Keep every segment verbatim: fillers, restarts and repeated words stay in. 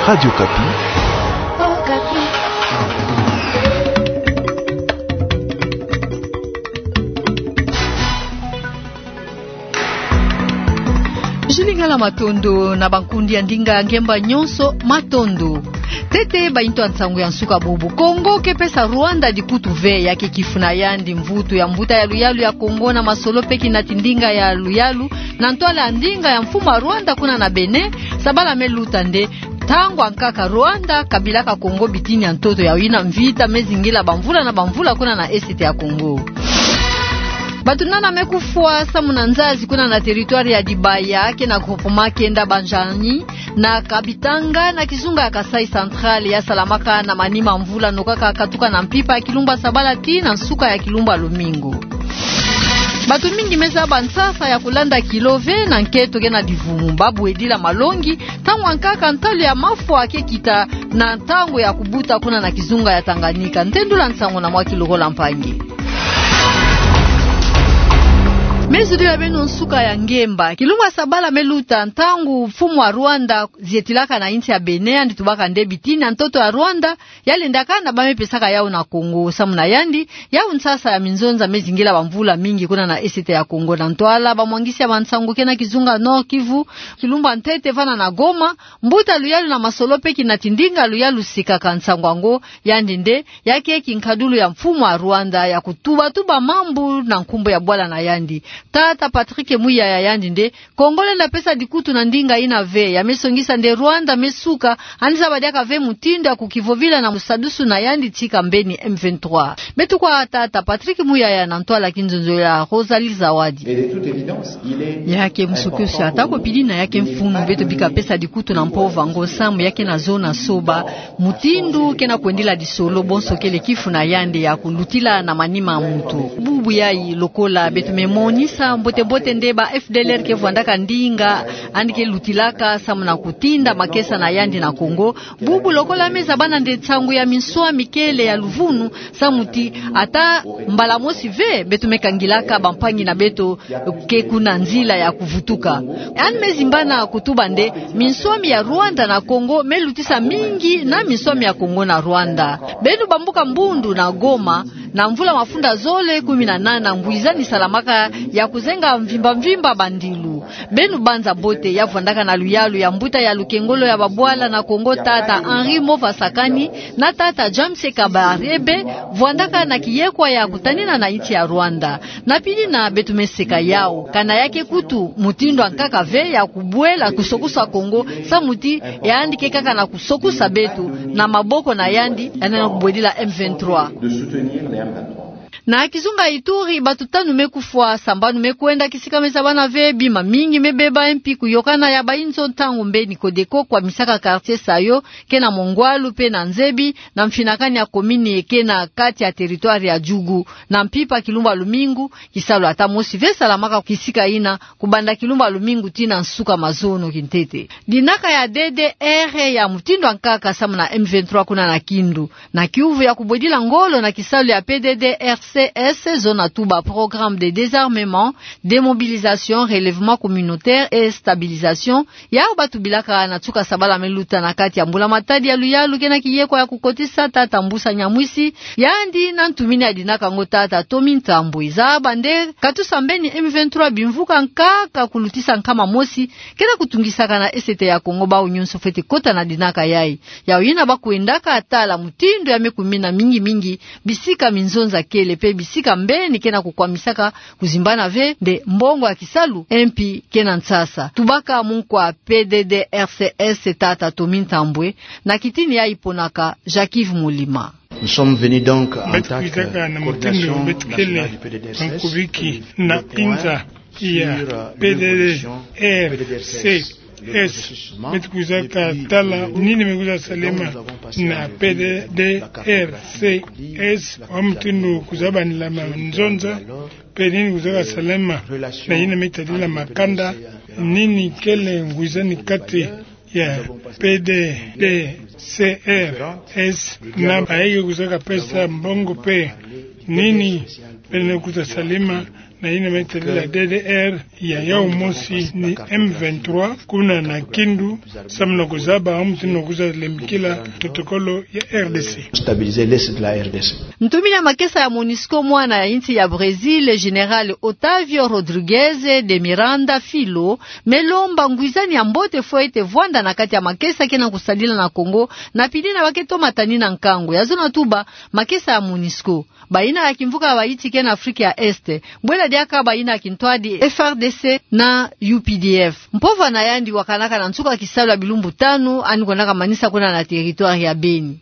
Radio Okapi. Julie Ngala, matondo. Na bankundi ya ndinga ngemba nyonso, matondo. Ntete, bayintu ya nsangu ya nsuka bubu. Kongo ke pesa Rwanda dikutu ve, ya ke kifuna yandi mvutu ya mbuta ya luyalu ya Kongo na masolo pe kinati ndinga ya luyalu, na ntwala ya ndinga ya mfumu ya Rwanda kuna na Bénin. Sabala me luta nde, ntangu ya nkaka Rwanda kabilaka Kongo bitini ya ntoto, ya yina mvita me zingila bamvula na bamvula kuna na Est ya Kongo. Bato nana me kufwa samu na nzazi kuna na territoire ya Dibaya, ke na groupement Kienda Banjani, na Kabitanga, na kizunga ya Kasaï Central, ya salamaka na manima mvula nokaka katuka na mpimpa ya kilumba sabala tii na nsuka ya kilumba lumingu. Bato mingi me zaba nsasa ya kulanda kilo ve na nketo ke na divumu. Babwedila malongi, ntangu ya nkaka ntalu ya mafwa ke kita na ntangu ya kubuta kuna na kizunga ya Tanganyika. Ntendula nsangu na mwa kilokola mpangi. Me zulu ya beno nsuka ya ngemba. Kilumba sabala me luta, ntangu mfumu ya Rwanda zietilaka na insi ya Bénin, yandi tubaka nde bitini ya ntoto ya Rwanda, ya lendaka na ba me pesaka yau na Kongo. Samu na yandi, yau nsasa ya minzonza me zingila bamvula mingi kuna na Est ya Kongo. Na ntwala bamwangisi ya bansangu ke na kizunga Nord-Kivu, kilumba ntete vana na Goma, mbuta luyalu na masolo pe kinati ndinga luyalu sikaka nsangu yango, yandi nde ya ke kinkadulu ya mfumu ya Rwanda ya kutubatuba mambu na nkumbu ya bwala na yandi. Tata Patrick Muyaya, yandi nde, Kongo lenda pesa dikutu na ndinga yina ve. Ya me songisa nde Rwanda me suka, yandi zaba diaka ve mutindu ya kukivovila na musadusu na yandi tika mbeni M vingt-trois. Beto kwa tata Patrick Muyaya na ntwala kinzonzolo ya Rosalie Zawadi. Ya ke musokosi, atako pidina ya ke mfunu beto bika pesa dikutu na mpova yango, samu ya ke na zona soba, mutindu ke na kwendila disolo, bonso kele kifuna yandi ya kulutila na manima ya muntu. Bubu yayi, lokola beto me monisa mbote-mbote nde ba F D L R ke vwandaka ndinga yandi ke lutilaka samu na kutinda makesa na yandi na Kongo. Bubu lokola me zabana nde nsangu ya minswami kele ya luvunu, samu ti ata mbala mosi ve beto me kangilaka bampangi na beto ke kuna nzila ya kuvutuka. Yandi me zimbana kutuba nde minswami ya Rwanda na Kongo me lutisa mingi na minswami ya Kongo na Rwanda. Beno bambuka Mbundu na Goma, na mvula mafunda zole kumi na nana, ngwizani salamaka ya kuzenga mvimba-mvimba bandilu. Beno banza mbote ya vwandaka na luyalu ya mbuta ya lukengolo ya babwala na Kongo, tata Henri Mova Sakani, na tata James Kabarebe, vwandaka na kiyekwa ya kutanina na insi ya Rwanda. Na pidina beto me seka yau, kana ya ke kutu mutindu ya nkaka ve ya kubwela kusokusa Kongo, samu ti yandi ke kaka na kusokusa beto na maboko na yandi, yandi na kubwedila M vingt-trois. Na kizunga Ituri, bato tanu me kufwa, sambanu me kwenda, kisika me zabana ve, bima mingi me beba, mpi kuyokana ya bayinzo ntangu mbeni Codeco kwamisaka quartier Sayo, ke na Mongwalu pe na Nzebi, na mfinakani ya commune ke na kati ya territoire ya Djugu. Na mpimpa kilumba lumingu, kisalu ata mosi ve salamaka kisika yina, kubanda kilumba lumingu tii na nsuka mazono kintete. Dinaka ya D D R ya mutindu ya nkaka samu na M vingt-trois kuna na Kindu. Na kiuvu ya kubwedila ngolo na kisalu ya P D D R C S, zo na tuba Programme de désarmement, démobilisation, relèvement communautaire et stabilisation, yau batubilaka na nsuka sabala me luta na kati ya mbula-matadi ya luyalu ke na kiyekwa ya kukotisa tata Mbusa Nyamwisi, yandi na ntumini ya dinaka yango tata Tommy Ntambwe. Zaba nde katusa mbeni M vingt-trois bimvuka nkaka kulutisa nkama mosi ke na kutungisaka na Est ya Kongo, bau nyonso fwete kota na dinaka yayi. Yau yina ba kwendaka tala mutindu ya me kumina mingi-mingi bisika minzonza kele pe bisika mbeni ke na kukwamisaka kuzimbana ve nde mbongo ya kisalu, mpi ke na nsasa. Tubaka munkwa P D D R C S tata Tommy Ntambwe, na kitini yayi ponaka Jacques-Yves Mulima. Nous sommes venus donc en tant que coordination nationale du P D D R C S, faire le point sur l'évolution du processus. Beto kwizaka tala nini me kwiza salema na P D D R C S, wa mutindu kwiza banila manzonza, pe nini kwizaka salema na yina me tadila makanda, nini kele ngwizani kati ya P D D C R S, na bayi ke kwizaka pesa mbongo pe nini beno kwiza salema Na yina me tadila D D R ya yau mosi ni M vingt-trois, kuna na Kindu, samu na kuzaba, amu tino kuza lembikila protokolo ya R D C. Stabiliser l'est de la R D C. Ntumini ya makesa ya MONUSCO, mwana ya insi ya Brésil, Général Otávio Rodrigues de Miranda Filho, me lomba ngwizani ya mbote fwete vwanda na kati ya makesa ke na kusadila na Congo, na pili na ba ke tomatani na nkangu ya zona tuba makesa ya MONUSCO. Bayina ya kimvuka ya Haïti ke na Afrique ya Est, bwela diaka bayina ya kintwadi F R D C na U P D F. Mpova na yandi wakanaka na nsuka kisalu ya bilumbu tanu, yandi kwendaka manisa kuna na territoire ya Beni.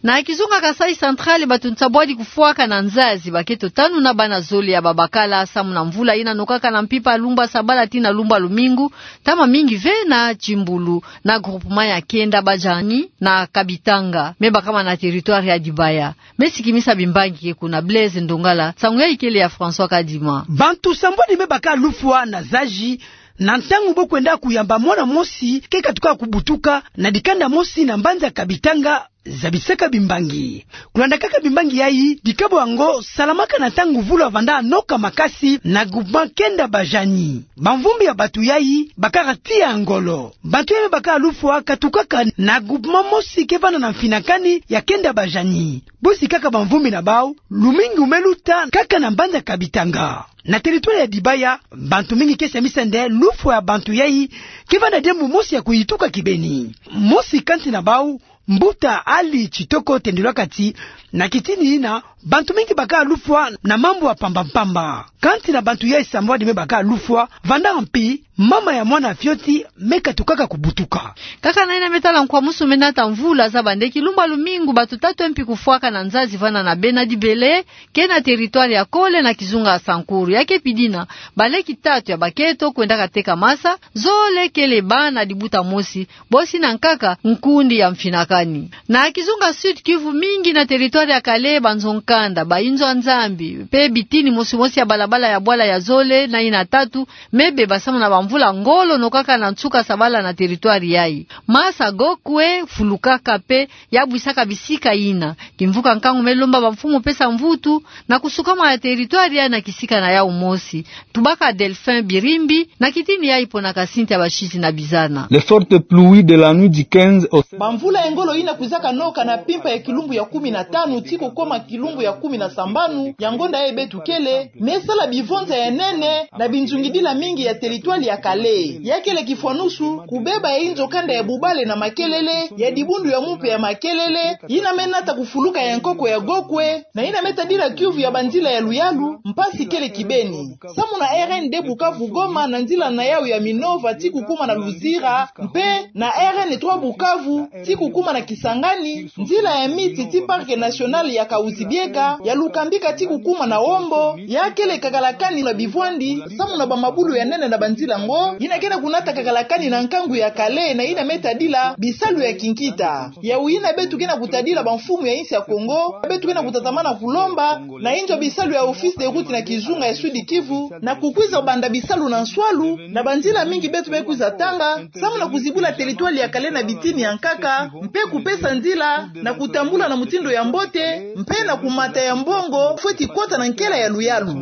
Na kizunga Kasaï Central, bato nsambwadi kufwaka na nzazi, bakento tanu na bana zole ya babakala, samu na mvula yina nokaka na mpimpa lumbu ya sabala tii na lumbu ya lumingu, ntama mingi ve na Timbulu, na groupement ya Kienda Bajani, na Kabitanga, me bakama na territoire ya Dibaya. Me sikimisa bimbangi ke kuna. Blaise Ndongala, nsangu yayi kele ya François Kadima. Bantu nsambwadi me baka lufwa na nzazi, na ntangu bo kwenda kuyamba mwana mosi ke katuka kubutuka na dikanda mosi na mbanza Kabitanga, zabisaka bimbangi. Kulanda kaka bimbangi yayi, dikabo yango salamaka na ntangu mvula vanda noka makasi na groupement Kienda Bajani. Bamvumbi ya bato yayi bakaka tii ya ngolo. Bato yayi me baka lufwa katukaka na groupement mosi ke vanda na mfinakani ya Kienda Bajani. Bo sikaka bamvumbi na bau, lumingu me luta kaka na mbanza Kabitanga. Na territoire ya Dibaya, bantu mingi ke semisa nde lufwa ya bantu yayi ke vanda diambu mosi ya kuyituka kibeni. Mosi kansi na bau, Mbuta Ali Tshitoko, tendilwaka ti na kitini yina, bantu mingi baka lufwa na mambu ya mpamba mpamba. Kansi na bantu yayi nsambwadi me baka lufwa, vanda mpi mama ya mwana fioti me katukaka kubutuka. Kaka na yina me tala nkwamusu me nata mvula, zaba nde kilumbu ya lumingu bato tatu mpi kufwaka na nzazi vanda na bena Dibele, ke na territoire ya Kole na kizunga ya Sankuru. Ya ke pidina, baleki tatu ya bakento kwendaka teka masa, zole kele bana dibuta mosi, bosi na nkaka nkundi ya mfinakani. Na kizunga Sud-Kivu, mingi na territoire ya Kalehe, banzo-nkanda, bayinzo ya Nzambi, mpe bitini mosi mosi ya balabala ya bwala ya zole na yina tatu, me beba samu na bamvula ngolo nokaka na nsuka sabala na territoire yayi. Masa gokwe fulukaka mpe ya bwisaka bisika yina. Kimvuka nkangu me lomba bamfumu pesa mvutu na kusukama ya territoire yayi na kisika na yau mosi. Tubaka Delphin Birimbi, na kitini yayi pona kasinti ya basisi na bizana. Les fortes pluies de la nuit du quinze au Bamvula ya ngolo yina kwizaka noka na mpimpa ya kilumbu ya kumi na tanu tii kukoma kilumbu ya kumi na sambanu ya ngonda yayi beto kele, me sala bivonza ya nene na binzungidila mingi ya territoire ya Kalehe. Ya kele kifwanusu, kubeba ya yinzo-kanda ya bubale na makelele, ya dibundu ya mumpe ya makelele, yina me nata kufuluka ya nkoko ya gokwe, na yina me tadila kiuvu ya banzila ya luyalu, mpasi kele kibeni. Samu na R N deux Bukavu-Goma na nzila na yau ya Minova tii kukuma na Luzira, mpe na R N trois Bukavu tii kukuma na Kisangani, nzila ya miti tii Parc National ya Kahuzi-Biega, ya Lukambika tii kukuma na Wombo, ya kele kakalakani na bivwandi, samu na bamabulu ya nene na banzila ngo, yina ke na kunata kakalakani na nkangu ya Kalehe na yina me tadila bisalu ya kinkita. Yau yina beto ke na kutadila bamfumu ya insi ya Kongo, beto ke na kutatamana kulomba na yinzo bisalu ya Office des Routes na kizunga ya Sud-Kivu, na kukwiza banda bisalu na nswalu, na banzila mingi beto me kwiza tanga, samu na kuzibula territoire ya Kalehe na bitini ya nkaka, mpe kupesa nzila na kutambula na mutindu ya mbote, mpe na kumata ya mbongo fweti kota na nkela ya luyalu.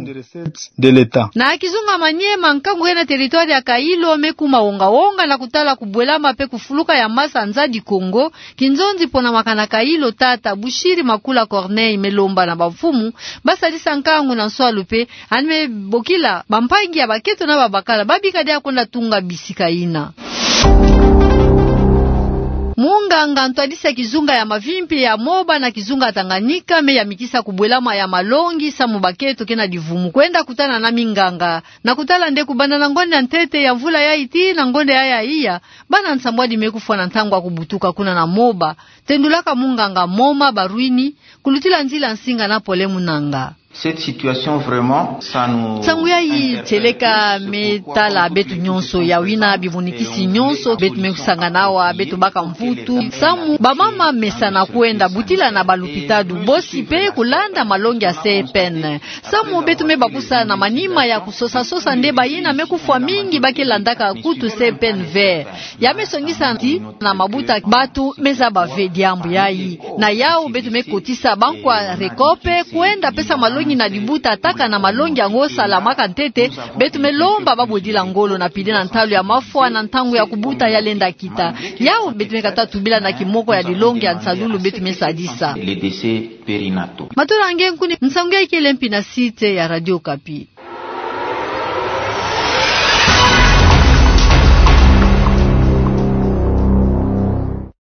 De l'État. Na kizunga Maniema, nkangu ke na territoire ya Kailo me kuma wonga-wonga na kutala kubwelama mpe kufuluka ya masa Nzadi Kongo, kinzonzi pona makana Kailo, tata Bushiri Makula Corneille me lomba na bamfumu basalisa nkangu na nswalu mpe yandi me bokila bampangi ya bakento na babakala babika dia kwenda tunga bisika yina. Munganga ntwadisi ya kizunga ya Mavimpi ya Moba na kizunga Tanganyika me yamikisa kubwelama ya malongi samu bakento ke na divumu kwenda kutana na minganga. Na kutala nde kubanda na ngonda ya ntete ya mvula yayi tii na ngonda yayi ya iya, bana nsambwadi me kufwa na ntangu ya kubutuka kuna na Moba, tendulaka munganga Moma Barwini, kulutila nzila nsinga na Pole Munanga. Cette situation vraiment, ça nous... Nsangu yayi tieleka me tala beto nyonso, ya wina bivunikisi nyonso beto me kusangana awa, beto baka mvutu. Samu bamama mesana kwenda butila na balupitalu, bosi pe kulanda malongi ya C P N. Samu beto me bakusa na manima ya kusosa-sosa nde bayina me kufwa mingi ba ke landaka kutu C P N V. Ya me songisa ti na mabuta bato me zaba ve diambu yayi. Na yau beto me kotisa bankwa Recope kwenda pesa malongi na libuta, taka na malongi yango salamaka ntete. Beto me lomba babodila ngolo na pide na ntalu ya mafwa na ntangu ya kubuta ya lenda kita. Yau beto me kata tubila na kimoko ya lilongi ya nsalulu beto me sadisa. Les décès périnataux. Matola nge nkuni, nsangu yayi kele mpi na site ya Radio Okapi.